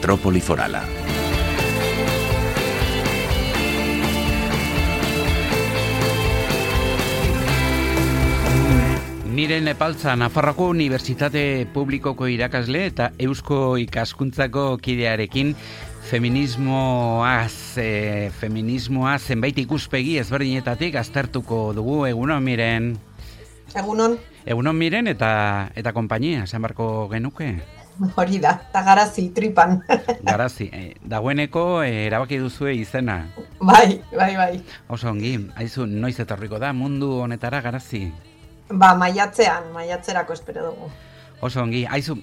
Metrópoli Forala. Miren Epaltza, Nafarroako Unibertsitate Publikoko irakasle eta Eusko Ikaskuntzako kidearekin feminismoa zenbait ikuspegi ezberdinetatik aztertuko dugu. Egunon, Miren. Egunon. Egunon, Miren, eta konpainia, esan barko genuke? Hori da, eta garazi, tripan. Garazi, dagoeneko erabaki duzue izena. Bai. Oso ongi, aizu, noiz etorriko da mundu honetara garazi? Maiatzerako espero dugu. Oso ongi, aizu,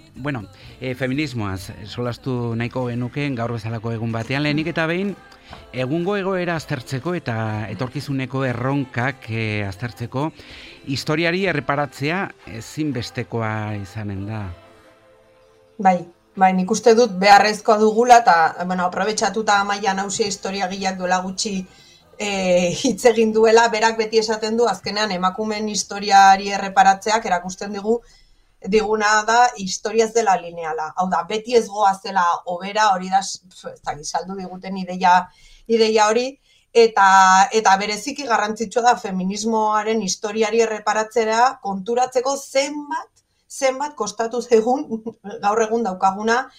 feminismoaz solastu nahiko genuken gaur bezalako egun batean, lehenik eta behin, egungo egoera aztertzeko eta etorkizuneko erronkak aztertzeko, historiari erreparatzea ezinbestekoa izanen da. Bai, nik uste dut beharrezkoa dugula, eta aprobetxatuta Amaia Nausia historiagileak duela gutxi hitz egin duela, berak beti esaten du, azkenean emakumeen historiari erreparatzeak erakusten diguna da historia ez dela lineala. Hau da, beti ez goazela hobera, hori da, saldu diguten ideia hori, eta bereziki garrantzitsua da feminismoaren historiari erreparatzea konturatzeko zenbat kostatu zaigun gaur egun daukaguna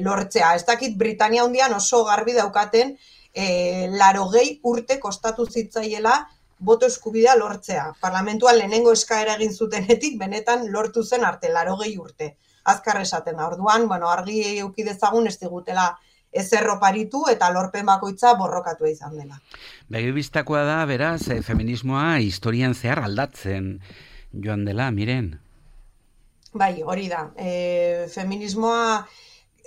lortzea. Ez dakit Britania Handian oso garbi daukaten 80 urte kostatu zitzaiela boto eskubidea lortzea. Parlamentuan lehenengo eskaera egin zutenetik benetan lortu zen arte 80 urte. Azkar esaten da. Orduan, argi eduki dezagun ez digutela ezer oparitu eta lorpen bakoitza borrokatua izan dela. Begibistakoa da, beraz, feminismoa historian zehar aldatzen joan dela, Miren. Bai, hori da. Feminismoa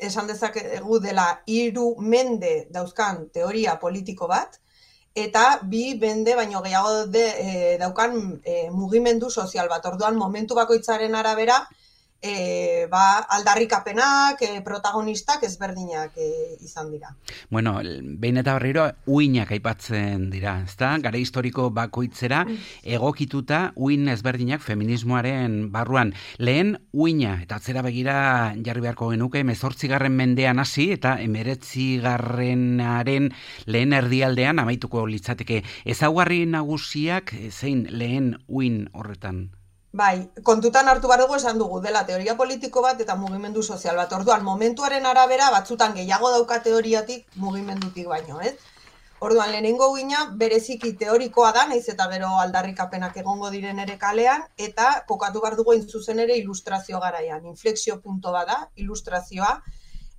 esan dezakegu dela 3 mende dauzkan teoria politiko bat, eta 2 mende baino gehiago daukan mugimendu sozial bat. Orduan, momentu bakoitzaren arabera, aldarrikapenak, protagonistak ezberdinak izan dira. Behin eta berriro uinak aipatzen dira, ezta? Gara historiko bakoitzera egokituta uin ezberdinak feminismoaren barruan. Lehen uina, eta atzera begira jarri beharko genuke, 18. mendean hasi eta 19. lehen erdialdean amaituko litzateke. Ezaugarri nagusiak zein lehen uin horretan? Bai, kontutan hartu behar dugu esan dugu, dela teoria politiko bat eta mugimendu sozial bat. Orduan, momentuaren arabera batzutan gehiago dauka teoriatik mugimendutik baino, ez? Orduan, lehenengo uina bereziki teorikoa da, naiz eta gero aldarrikapenak egongo diren ere kalean, eta kokatu behar dugu zuzen ere ilustrazio garaian. Inflexio punto bada, ilustrazioa,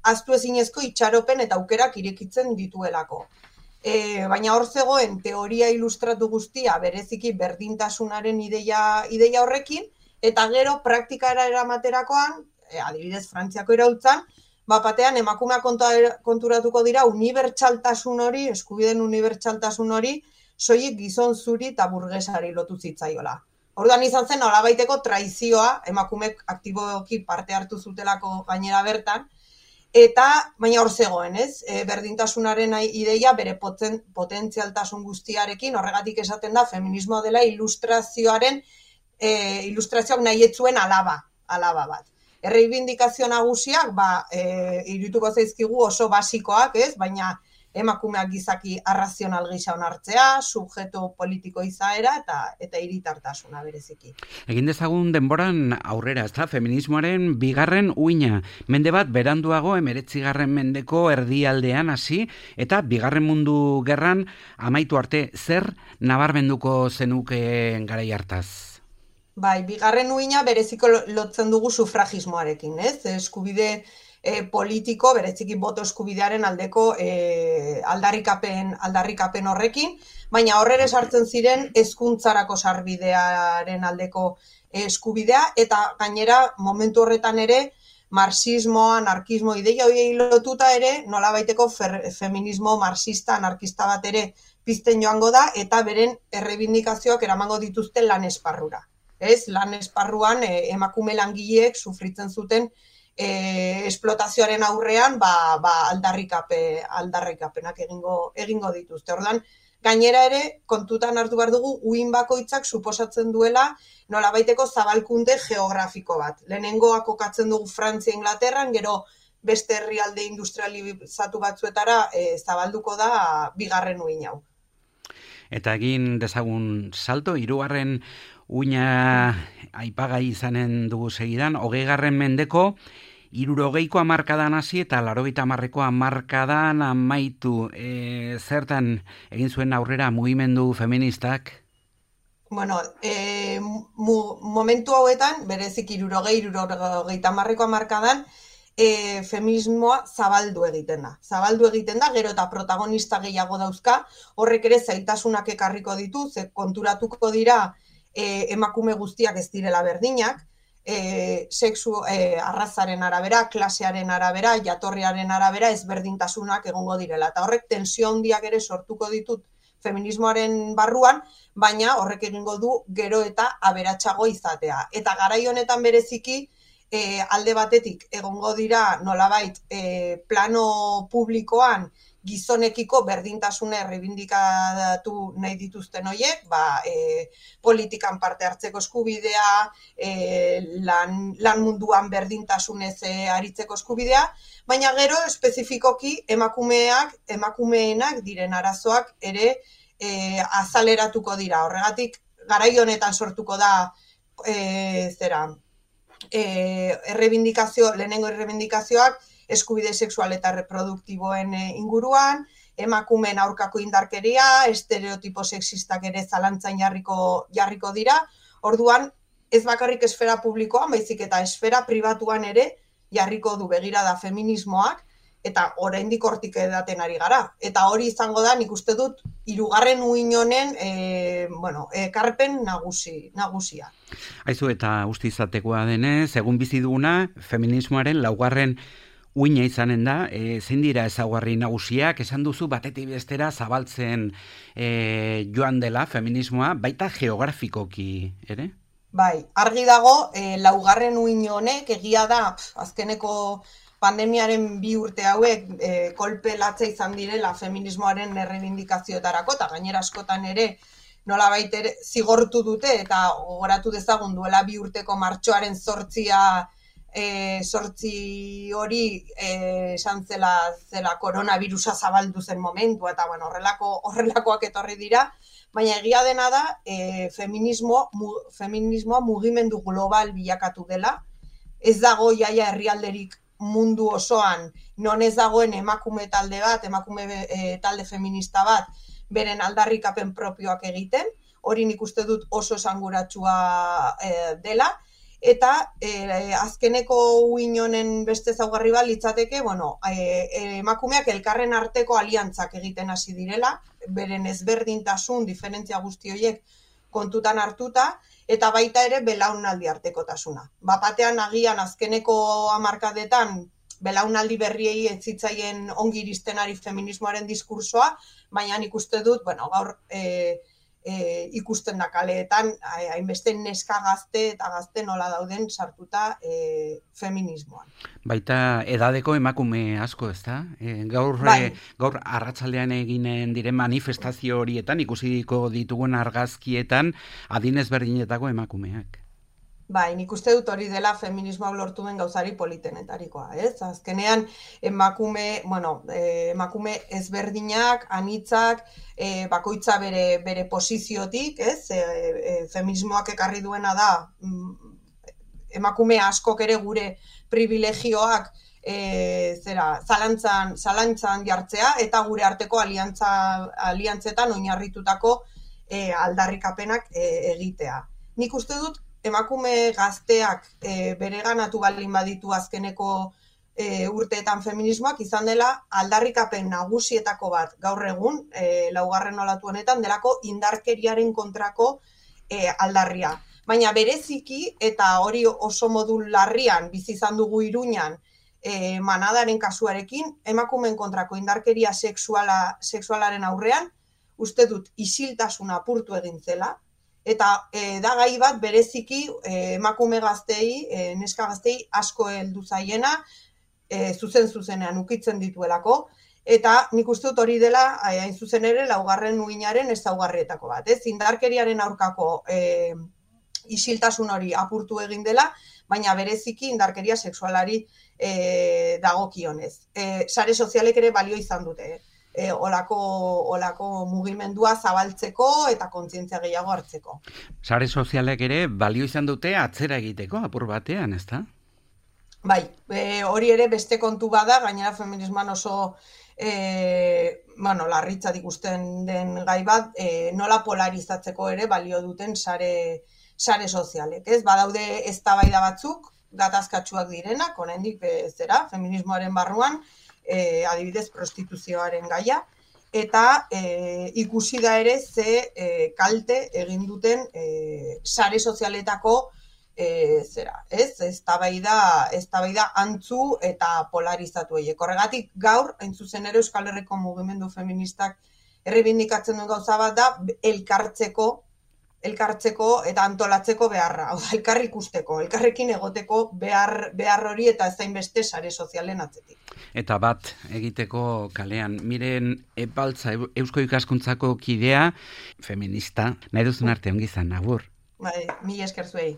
ahaztu ezinezko itxaropen eta aukerak irekitzen dituelako. Baina hor zegoen teoria ilustratu guztia bereziki berdintasunaren ideia horrekin, eta gero praktikara eramaterakoan, adibidez Frantziako iraultzan, batean emakumeak konturatuko dira unibertsaltasun hori, eskubideen unibertsaltasun hori, soilik gizon zuri eta burgesari lotu zitzaiola. Orduan izan zen nolabaiteko traizioa, emakumeek aktiboki parte hartu zutelako gainera bertan, baina hor zegoen, ez? Berdintasunaren ideia bere potentzialtasun guztiarekin, horregatik esaten da feminismoa dela ilustrazioak nahi etzuen alaba bat. Erreibindikazio nagusiak, irudituko zaizkigu oso basikoak, ez? Baina emakumeak gizaki arrazional gisa onartzea, subjektu politiko izaera eta hiritartasuna bereziki. Egin dezagun denboran aurrera, ezta? Feminismoaren 2. uina. Mende bat beranduago 19. mendeko erdialdean hasi eta 2. mundu gerran amaitu arte zer nabarmenduko zenuke garai hartaz? Bai, 2. uina bereziko lotzen dugu sufragismoarekin, ez? Eskubide politiko, bereziki boto eskubidearen aldeko aldarrikapen horrekin, baina horrere sartzen ziren hezkuntzarako sarbidearen aldeko eskubidea, eta gainera momentu horretan ere marxismo, anarkismo ideia horiei lotuta ere nolabaiteko feminismo marxista, anarkista bat ere pizten joango da, eta beren errebindikazioak eramango dituzten lan esparrura. Lan esparruan emakume langileek sufritzen zuten esplotazioaren aurrean aldarrikapenak egingo dituzte. Orduan, gainera ere, kontutan hartu behar dugu, uin bakoitzak suposatzen duela nolabaiteko zabalkunde geografiko bat. Lehenengoa kokatzen dugu Frantzia Inglaterran, gero beste herrialde industrializatu batzuetara zabalduko da bigarren uhin hau. Eta egin dezagun salto, 3. uina aipagai izanen dugu segidan, 20. mendeko 60ko hamarkadan hasi eta 80ko hamarkadan amaitu. Zertan egin zuen aurrera mugimendu feministak? Bueno, momentu hauetan, berezik 60-70ko hamarkadan, feminismoa zabaldu egiten da, gero eta protagonista gehiago dauzka, horrek ere zailtasunak ekarriko ditu, ze konturatuko dira emakume guztiak ez direla berdinak, sexu arrazaren arabera, klasearen arabera, jatorriaren arabera ezberdintasunak egongo direla. Eta horrek tensio handiak ere sortuko ditut feminismoaren barruan, baina horrek egingo du gero eta aberatsago izatea. Eta garai honetan bereziki, alde batetik egongo dira nolabait plano publikoan gizonekiko berdintasuna errebindikatu nahi dituzten horiek, politikan parte hartzeko eskubidea, lan munduan berdintasunez aritzeko eskubidea, baina gero espezifikoki emakumeenak diren arazoak ere azaleratuko dira. Horregatik, garai honetan sortuko da lehenengo errebindikazioak eskubide sexual eta reproduktiboen inguruan, emakumeen aurkako indarkeria, estereotipo sexistak ere zalantzan jarriko dira. Orduan, ez bakarrik esfera publikoan, baizik eta esfera pribatuan ere jarriko du begirada feminismoak, eta oraindik hortik edaten ari gara. Eta hori izango da, nik uste dut, 3. uhin honen ekarpen nagusia. Aizu, eta uste izatekoa denez, egun bizi duguna, feminismoaren 4. uina izanen da, zein dira ezaugarri nagusiak, esan duzu batetik bestera zabaltzen joan dela feminismoa, baita geografikoki, ere? Bai, argi dago, 4. uhin honek egia da, azkeneko pandemiaren 2 urte hauek kolpe latza izan direla feminismoaren errebindikazioetarako, eta gainera askotan ere nolabait ere zigortu dute, eta gogoratu dezagun duela 2 urteko martxoaren 8 hori esan zela koronavirusa zabaldu zen momentua, eta horrelakoak etorri dira, baina egia dena da feminismoa mugimendu global bilakatu dela, ez dago jaia herrialderik mundu osoan, non ez dagoen emakume talde bat, talde feminista bat, beren aldarrikapen propioak egiten, hori nik uste dut oso esanguratsua dela, eta azkeneko uhin honen beste ezaugarri bat litzateke, emakumeak elkarren arteko aliantzak egiten hasi direla, beren ezberdintasun, diferentzia guzti horiek kontutan hartuta, eta baita ere belaunaldi artekotasuna. Batean agian azkeneko hamarkadetan belaunaldi berriei ez zitzaien ongi iristen ari feminismoaren diskursoa, baina nik uste dut, gaur ikusten da kaleetan, hainbeste neska gazte eta gazte nola dauden sartuta feminismoan. Baita edadeko emakume asko, ez da? Gaur arratsaldean eginen diren manifestazio horietan, ikusiko ditugun argazkietan, adin ezberdinetako emakumeak. Bai, nik uste dut hori dela feminismoak lortu den gauzari politenetarikoa, ez? Azkenean, emakume ezberdinak, anitzak, bakoitza bere posiziotik, ez? Feminismoak ekarri duena da, emakume askok ere gure privilegioak zalantzan jartzea, eta gure arteko aliantzetan oinarritutako aldarrikapenak egitea. Nik uste dut, emakume gazteak bereganatu baldin baditu azkeneko urteetan feminismoak izan dela aldarrikapen nagusietako bat gaur egun, 4. olatu honetan, delako indarkeriaren kontrako aldarria. Baina bereziki, eta hori oso modu larrian bizi izan dugu Iruñan, manadaren kasuarekin, emakumeen kontrako indarkeria sexualaren aurrean, uste dut isiltasuna apurtu egin zela, eta da gai bat bereziki emakume gaztei, neska gaztei asko heldu zaiena, zuzenean ukitzen dituelako, eta nik uste dut hori dela, hain zuzen ere, 4. uhinaren ezaugarrietako bat. Indarkeriaren aurkako isiltasun hori apurtu egin dela, baina bereziki indarkeria sexualari dagokionez. Sare sozialek ere balio izan dute, olako mugimendua zabaltzeko eta kontzientzia gehiago hartzeko. Sare sozialek ere balio izan dute atzera egiteko, apur batean, ezta? Bai, hori ere beste kontu bada, gainera feminismoan oso larritzat ikusten den gai bat, nola polarizatzeko ere balio duten sare sozialek, ez? Badaude eztabaida batzuk, gatazkatsuak direnak, oraindik feminismoaren barruan, adibidez prostituzioaren gaia, eta ikusi da ere ze kalte egin duten sare sozialetako eztabaida antzu eta polarizatu horiek. Horregatik gaur, hain zuzen ere Euskal Herriko mugimendu feministak errebindikatzen duen gauza bat da elkartzeko eta antolatzeko beharra. Hau da, elkar ikusteko, elkarrekin egoteko behar hori eta ez hainbeste sare sozialen atzetik. Eta bat egiteko kalean, Miren Epaltza, Eusko Ikaskuntzako kidea, feminista, nahi duzun arte ongi izan, agur. Bai, mila esker zuei.